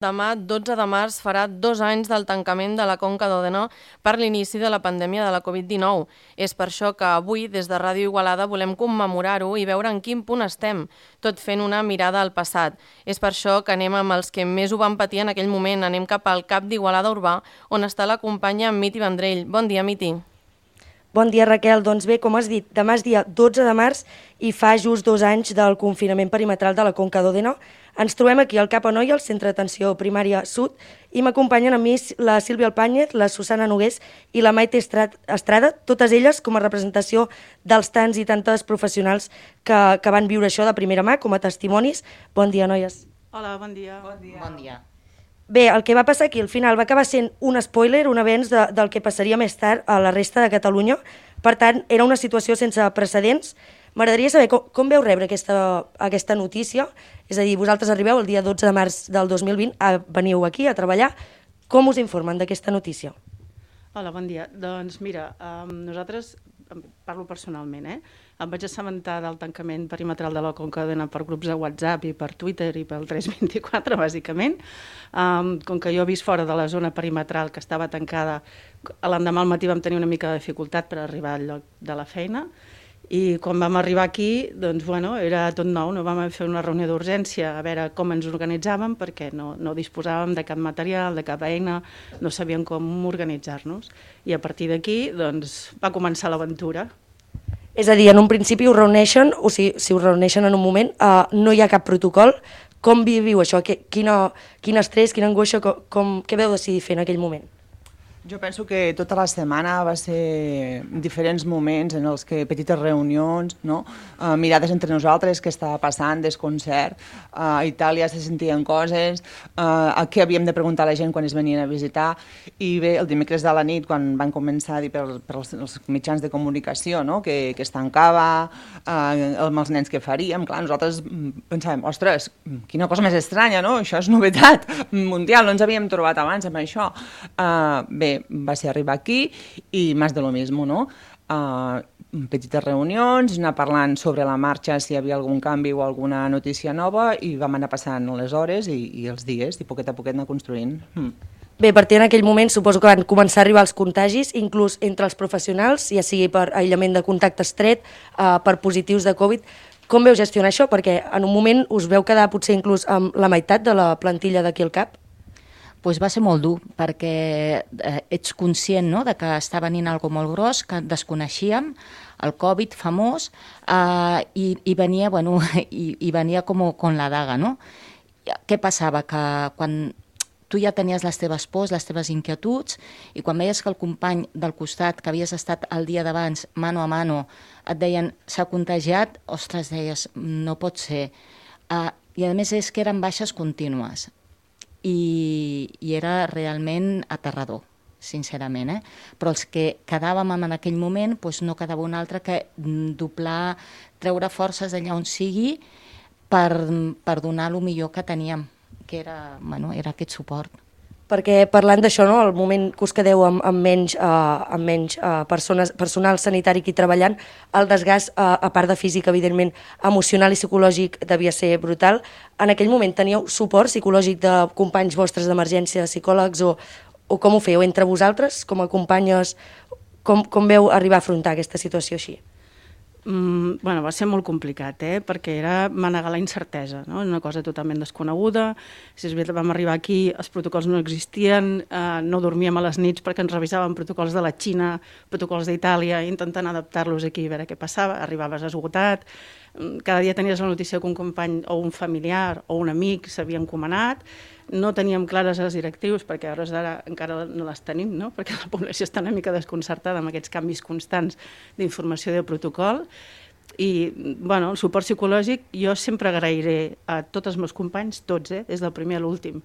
Demà, 12 de març, farà 2 anys del tancament de la Conca d'Òdena per l'inici de la pandèmia de la Covid-19. És per això que avui, des de Ràdio Igualada, volem commemorar-ho i veure en quin punt estem, tot fent una mirada al passat. És per això que anem amb els que més ho van patir en aquell moment. Anem cap al CAP d'Igualada Urbà, on està la companya Miti Vendrell. Bon dia, Miti. Bon dia, Raquel. Doncs bé, com has dit, demà és dia 12 de març i fa just 2 anys del confinament perimetral de la Conca d'Òdena. Ens trobem aquí al CAP Anoia, al Centre d'Atenció Primària Sud, i m'acompanyen a mi la Sílvia Alpáñez, la Susana Nogués i la Maite Estrada, totes elles com a representació dels tants i tantes professionals que van viure això de primera mà, com a testimonis. Bon dia, noies. Hola, bon dia. Bon dia. Bé, el que va passar aquí al final va acabar sent un spoiler, un avenç del que passaria més tard a la resta de Catalunya. Per tant, era una situació sense precedents. M'agradaria saber com veu rebre aquesta notícia. És a dir, vosaltres arribeu el dia 12 de març del 2020, veniu aquí a treballar. Com us informen d'aquesta notícia? Hola, bon dia. Doncs mira, nosaltres, parlo personalment, em vaig assabentar del tancament perimetral de la Conca d'Òdena per grups de WhatsApp i per Twitter i pel 324, bàsicament. Com que jo he vist fora de la zona perimetral que estava tancada, l'endemà al matí vam tenir una mica de dificultat per arribar al lloc de la feina, i quan vam arribar aquí, doncs, bueno, era tot nou, no vam fer una reunió d'urgència a veure com ens organitzàvem, perquè no disposàvem de cap material, de cap eina, no sabíem com organitzar-nos. I a partir d'aquí, doncs, va començar l'aventura. És a dir, en un principi us reuneixen, o si us reuneixen en un moment, no hi ha cap protocol. Com viviu això? Quin estrès, quina angoixa, què vau decidir fer en aquell moment? Jo penso que tota la setmana va ser diferents moments en els que petites reunions, no? Mirades entre nosaltres, què estava passant, desconcert, a Itàlia se sentien coses, a què havíem de preguntar a la gent quan es venien a visitar, i bé, el dimecres de la nit, quan van començar a dir pels mitjans de comunicació, no? que es tancava, amb els nens que faríem, clar, nosaltres pensàvem, ostres, quina cosa més estranya, no? Això és novetat mundial, no ens havíem trobat abans amb això. Bé, va ser arribar aquí i més de lo mismo, no? Petites reunions, anar parlant sobre la marxa si hi havia algun canvi o alguna notícia nova, i vam anar passant les hores i els dies i poquet a poquet anar construint. Bé, a partir d'aquell moment suposo que van començar a arribar els contagis, inclús entre els professionals, ja sigui per aïllament de contacte estret, per positius de Covid. Com veu gestionar això? Perquè en un moment us veu quedar potser inclús amb la meitat de la plantilla d'aquí al CAP? Pues va ser molt dur, perquè ets conscient, no?, de que està venint algo molt gros, que desconeixíem, el Covid famós, i venia, bueno, i venia com la daga, no? Què passava? Que quan tu ja tenies les teves pors, les teves inquietuds, i quan veies que el company del costat, que havies estat el dia d'abans, mano a mano, et deien, s'ha contagiat, ostres, deies, no pot ser. I a més és que eren baixes contínues. I era realment aterrador, sincerament, però els que quedàvem en aquell moment doncs no quedava un altre que doblar, treure forces d'allà on sigui per donar el millor que teníem, que era aquest suport. Perquè parlant d'això, no, el moment que us quedeu amb menys personal sanitari aquí treballant, el desgast, a part de físic, evidentment, emocional i psicològic devia ser brutal. En aquell moment teníeu suport psicològic de companys vostres d'emergència, de psicòlegs, o com ho fèieu entre vosaltres, com a companyes? Com veu arribar a afrontar aquesta situació així? Bueno, va ser molt complicat, perquè era manegar la incertesa, no? Una cosa totalment desconeguda. Si és veritat, vam arribar aquí, els protocols no existien, no dormíem a les nits perquè ens revisaven protocols de la Xina, protocols d'Itàlia, intentant adaptar-los aquí a veure què passava, arribaves esgotat, cada dia tenies la notícia que un company o un familiar o un amic s'havia encomanat, no teníem clares les directrius, perquè a hores d'ara encara no les tenim, no? Perquè la població està una mica desconcertada amb aquests canvis constants d'informació de protocol. I bueno, el suport psicològic jo sempre agrairé a tots els meus companys, tots, des del primer a l'últim,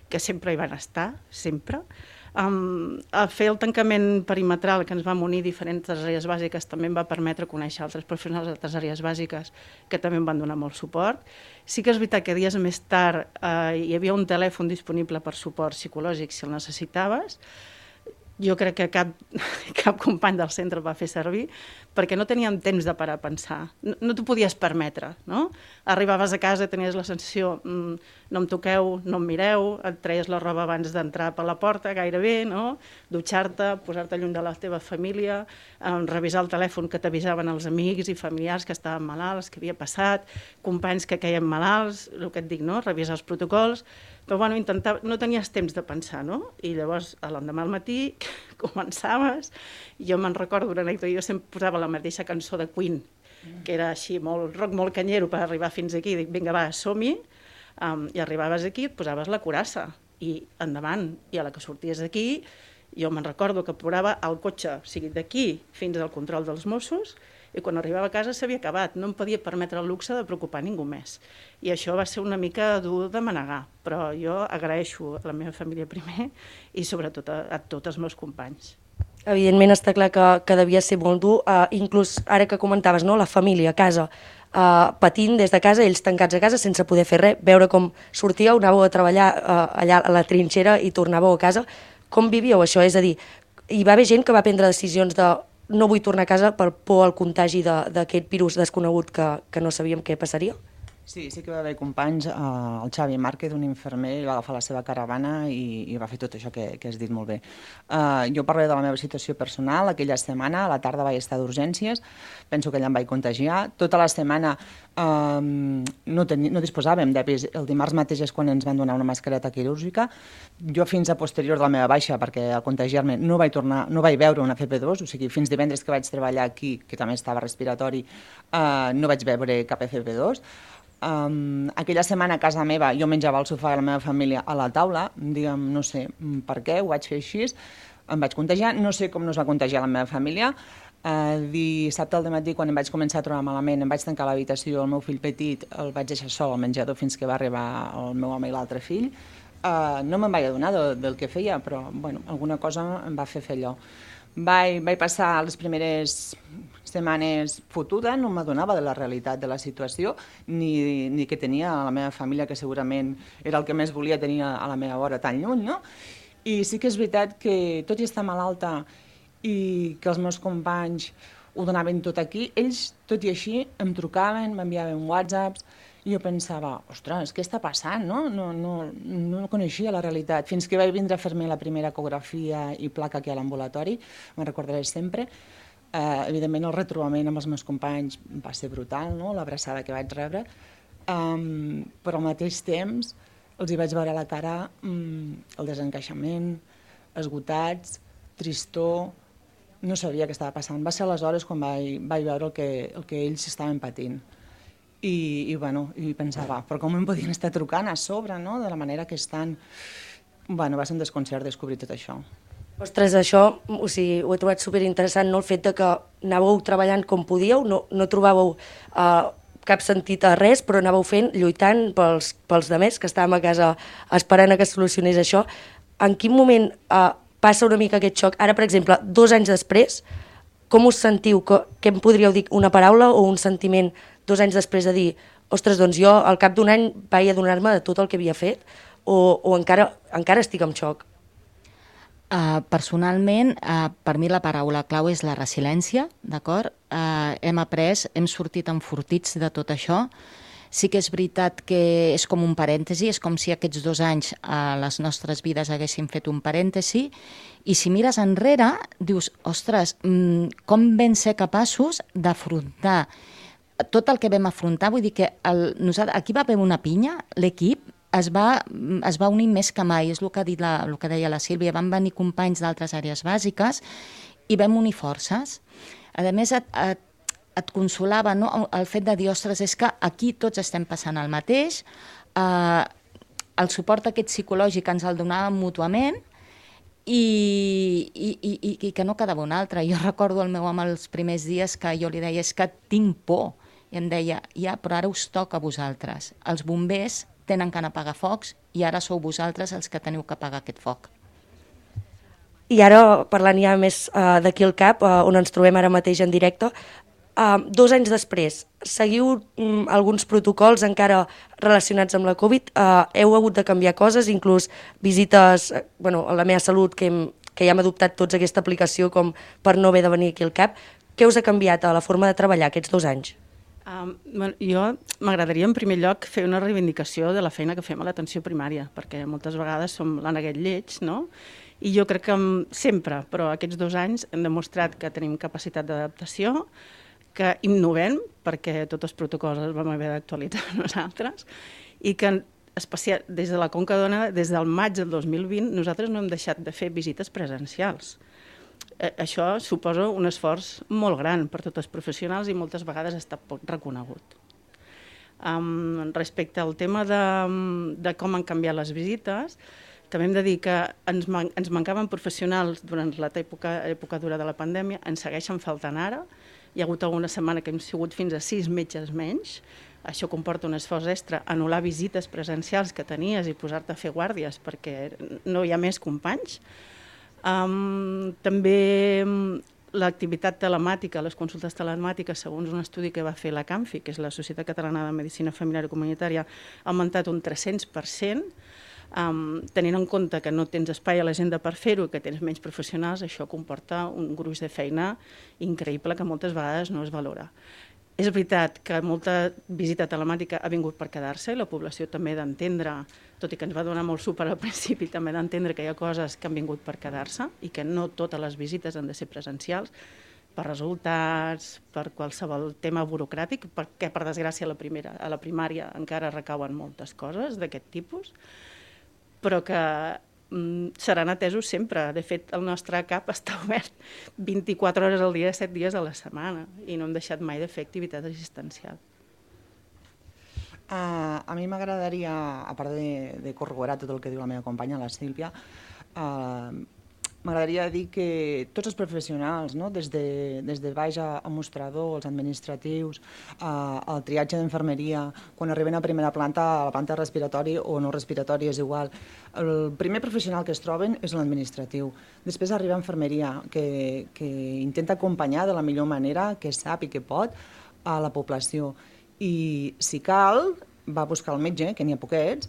que sempre hi van estar, sempre. A fer el tancament perimetral que ens vam unir diferents àrees bàsiques també em va permetre conèixer altres professionals d'altres àrees bàsiques que també em van donar molt suport. Sí que és veritat que dies més tard hi havia un telèfon disponible per suport psicològic si el necessitaves. jo crec que cap company del centre va fer servir, perquè no teníem temps de parar a pensar. No t'ho podies permetre, no? Arribaves a casa, tenies la sensació, no em toqueu, no em mireu, et treies la roba abans d'entrar per la porta, gairebé, no? Dutxar-te, posar-te lluny de la teva família, revisar el telèfon que t'avisaven els amics i familiars que estaven malalts, que havia passat, companys que queien malalts, el que et dic, no? Revisar els protocols, però bueno, no tenies temps de pensar, no? I llavors, l'endemà al matí, començaves, jo me'n recordo una anècdota, jo sempre posava la mateixa cançó de Queen, que era així, molt rock, molt canyero per arribar fins aquí, dic, vinga, va, som-hi, i arribaves aquí, et posaves la curassa, i endavant, i a la que sorties d'aquí, jo me'n recordo que posava el cotxe, o sigui, d'aquí fins al control dels Mossos, i quan arribava a casa s'havia acabat, no em podia permetre el luxe de preocupar ningú més. I això va ser una mica dur de manegar, però jo agraeixo a la meva família primer i sobretot a tots els meus companys. Evidentment està clar que devia ser molt dur, inclús ara que comentaves, no? La família a casa, patint des de casa, ells tancats a casa sense poder fer res, veure com sortíeu, anàveu a treballar allà a la trinxera i tornàveu a casa. Com vivíeu això? És a dir, hi va haver gent que va prendre decisions de no vull tornar a casa per por al contagi d'aquest virus desconegut que no sabíem què passaria? Sí que va haver companys, el Xavi Márquez, un infermer, va agafar la seva caravana i va fer tot això que has dit molt bé. Jo parlaré de la meva situació personal. Aquella setmana, a la tarda vaig estar d'urgències, penso que allà em vaig contagiar. Tota la setmana no disposàvem d'EPIs. El dimarts mateix és quan ens van donar una mascareta quirúrgica. Jo fins a posterior de la meva baixa, perquè al contagiar-me no vaig veure una FP2, o sigui, fins divendres que vaig treballar aquí, que també estava respiratori, no vaig veure cap FP2. Aquella setmana a casa meva jo menjava al sofà de la meva família a la taula, diguem, no sé per què, ho vaig fer així, em vaig contagiar, no sé com no es va contagiar la meva família. Dissabte al dematí, quan em vaig començar a trobar malament, em vaig tancar a l'habitació, el meu fill petit el vaig deixar sol al menjador fins que va arribar el meu home i l'altre fill. No me'n vaig adonar del que feia, però bueno, alguna cosa em va fer allò. Vaig passar les primeres setmanes fotuda, no m'adonava de la realitat de la situació, ni que tenia a la meva família, que segurament era el que més volia tenir a la meva vora tan lluny, no? I sí que és veritat que, tot i estar malalta i que els meus companys ho donaven tot aquí, ells, tot i així, em trucaven, m'enviaven whatsapps, i jo pensava, ostres, què està passant, no? No coneixia la realitat. Fins que vaig vindre a fer-me la primera ecografia i placa aquí a l'ambulatori, me'n recordaré sempre. Evidentment, el retrobament amb els meus companys va ser brutal, no? L'abraçada que vaig rebre, però al mateix temps els hi vaig veure a la cara el desencaixament, esgotats, tristor, no sabia què estava passant. Va ser aleshores quan vaig veure el que ells estaven patint. I pensava, però com em podien estar trucant a sobre, no? De la manera que estan... Va ser un desconcert descobrir tot això. Ostres, això ho he trobat superinteressant, no? El fet de que anàveu treballant com podíeu, no trobàveu cap sentit a res, però anàveu fent, lluitant pels demés que estàvem a casa esperant que es solucionés això. En quin moment passa una mica aquest xoc? Ara, per exemple, 2 anys després, com us sentiu? Què em podríeu dir? Una paraula o un sentiment 2 anys després de dir, ostres, doncs jo al cap d'un any vaig adonar-me de tot el que havia fet o encara estic en xoc? Personalment, per mi la paraula clau és la resiliència, d'acord? Hem sortit enfortits de tot això. Sí que és veritat que és com un parèntesi, és com si aquests 2 anys a les nostres vides haguessin fet un parèntesi, i si mires enrere, dius, ostres, com vam ser capaços d'afrontar tot el que vam afrontar. Vull dir que aquí va haver una pinya, l'equip es va unir més que mai, és el que deia la Sílvia, van venir companys d'altres àrees bàsiques i vam unir forces. A més, et consolava, no? El fet de dir, ostres, és que aquí tots estem passant el mateix, el suport aquest psicològic ens el donàvem mútuament i que no quedava un altre. Jo recordo el meu home els primers dies que jo li deia, és que tinc por, i em deia, ja, però ara us toca a vosaltres. Els bombers tenen que anar a apagar focs i ara sou vosaltres els que teniu que apagar aquest foc. I ara, parlant ja més d'aquí al CAP, on ens trobem ara mateix en directe, 2 anys després, seguiu alguns protocols encara relacionats amb la Covid? Heu hagut de canviar coses, inclús visites a la meva salut que que ja hem adoptat tots aquesta aplicació com per no haver de venir aquí al CAP. Què us ha canviat a la forma de treballar aquests 2 anys? Jo m'agradaria en primer lloc fer una reivindicació de la feina que fem a l'atenció primària, perquè moltes vegades som l'àneguet lleig, no? I jo crec que sempre, però aquests 2 anys hem demostrat que tenim capacitat d'adaptació, que innovem, perquè tots els protocols els vam haver d'actualitzar nosaltres, i que especial, des de la Conca d'Ona, des del maig del 2020, nosaltres no hem deixat de fer visites presencials. Això suposa un esforç molt gran per tots els professionals i moltes vegades està poc reconegut. Respecte al tema de com han canviat les visites, també hem de dir que ens mancaven professionals durant l'època dura de la pandèmia, ens segueixen faltant ara. Hi ha hagut alguna setmana que hem sigut fins a 6 metges menys. Això comporta un esforç extra, anul·lar visites presencials que tenies i posar-te a fer guàrdies perquè no hi ha més companys. També l'activitat telemàtica, les consultes telemàtiques, segons un estudi que va fer la CAMFI, que és la Societat Catalana de Medicina Familiar i Comunitària, ha augmentat un 300%, tenint en compte que no tens espai a l'agenda per fer-ho i que tens menys professionals, això comporta un gruix de feina increïble que moltes vegades no es valora. És veritat que molta visita telemàtica ha vingut per quedar-se i la població també d'entendre, tot i que ens va donar molt suport al principi, també d'entendre que hi ha coses que han vingut per quedar-se i que no totes les visites han de ser presencials per resultats, per qualsevol tema burocràtic, perquè per desgràcia a la primària encara recauen moltes coses d'aquest tipus, però que seran atesos sempre. De fet, el nostre CAP està obert 24 hores al dia, 7 dies a la setmana, i no hem deixat mai de fer activitat assistencial. A mi m'agradaria, a part de corroborar tot el que diu la meva companya, la Sílvia, m'agradaria dir que tots els professionals, no? des de baix a mostrador, els administratius, el triatge d'infermeria, quan arriben a primera planta, a la planta respiratori o no respiratori és igual, el primer professional que es troben és l'administratiu. Després arriba infermeria, que intenta acompanyar de la millor manera que sap i que pot a la població. I si cal, va a buscar el metge, que n'hi ha poquets,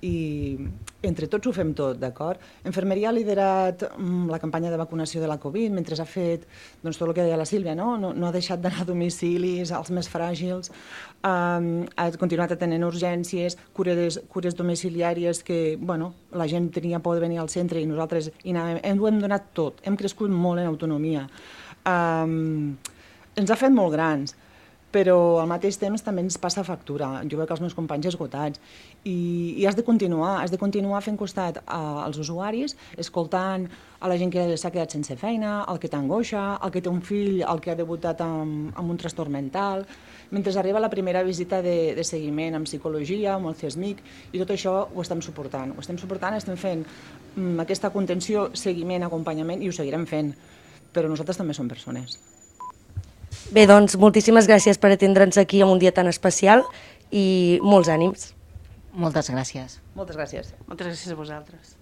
i entre tots ho fem tot, d'acord? Infermeria ha liderat la campanya de vacunació de la Covid, mentre ha fet tot el que deia la Sílvia, no ha deixat d'anar a domicilis, als més fràgils, ha continuat atenent urgències, cures domiciliàries que la gent tenia por de venir al centre i nosaltres ho hem donat tot, hem crescut molt en autonomia. Ens ha fet molt grans, però al mateix temps també ens passa factura. Jo veig els meus companys esgotats i has de continuar fent costat als usuaris, escoltant a la gent que s'ha quedat sense feina, el que t'angoixa, el que té un fill, el que ha debutat amb un trastorn mental, mentre arriba la primera visita de seguiment amb psicologia, amb el CESMIC, i tot això ho estem suportant. Estem fent aquesta contenció, seguiment, acompanyament, i ho seguirem fent, però nosaltres també som persones. Bé, doncs, moltíssimes gràcies per atendre'ns aquí en un dia tan especial i molts ànims. Moltes gràcies. Moltes gràcies. Moltes gràcies a vosaltres.